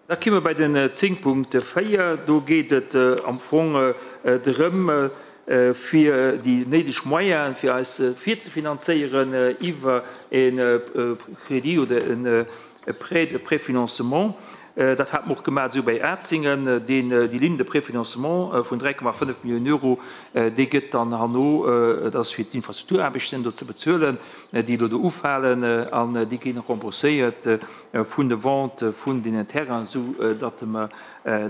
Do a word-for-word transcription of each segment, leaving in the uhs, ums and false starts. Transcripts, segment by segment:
Da komme mer bei den zéng Punkt véier. Do geet et am Fong drëm, fir déi néideg Moyene fir eis virzefinanzéieren iwwer e Crédit oder e Prêt de préfinancement. Dat hate mer och gemaach esou bei Atzingen. Deen, déi Ligne de préfinancement vun dräi Komma fënnef Milliounen Euro, déi gëtt dann herno, dat ass fir d'Infrastrukturaarbechten do ze bezuelen, déi elo do ufalen, an déi ginn rembourséiert vun de Vente vun deenen Terrainen, esou datt mer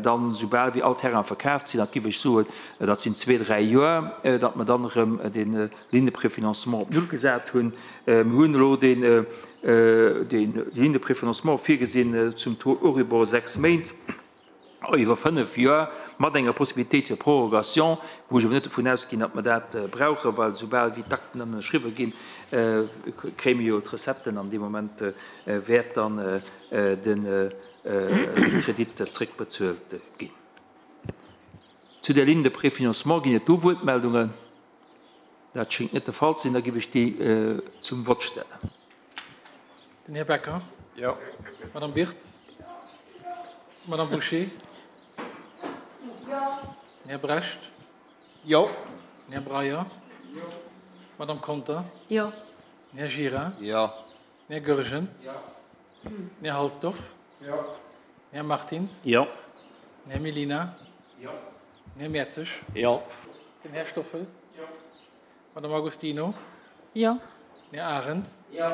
dann, soubal wéi all Terrain verkaaft sinn, dat géif ech soen, dat sinn zwee, dräi Joer, datt mer dann erëm dee Ligne de préfinancement op Null gesat hunn. Mir hunn elo deen, déi Ligne de préfinancement virgesinn zum Taux Euribor sechs Méint iwwer fënnef Joer mat enger Possibilitéit fir Prorogation, wou ech awer net dovun ausginn, datt mer dat brauchen, well soubal wéi d'Akten dann ënnerschriwwe ginn, kréie mir jo d'Recetten an dee Moment wäert dann de Kredit zréckbezuelt ginn. Zu der Ligne de préfinancement ginn et do Wuertmeldungen? Dat schéngt net de Fall ze sinn. Da géif ech déi zum Vott stellen. Den Här Becker. Jo. Madame Birtz. Madame Bouché. Jo. Den Här Brecht. Jo. Den Här Breyer. Jo. Madame Conter. Jo. Den Här Gira. Jo. Den Här Goergen. Jo. Den Här Halsdorf. Jo. Den Här Martins. Jo. Den Här Mellina. Jo. Den Här Mertzig. Jo. Den Här Stoffel. Jo. Madame Agostino. Jo. Den Här Arendt. Jo.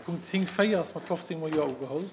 Punkt zéng véier ass mat fofzéng mol Jo ugeholl.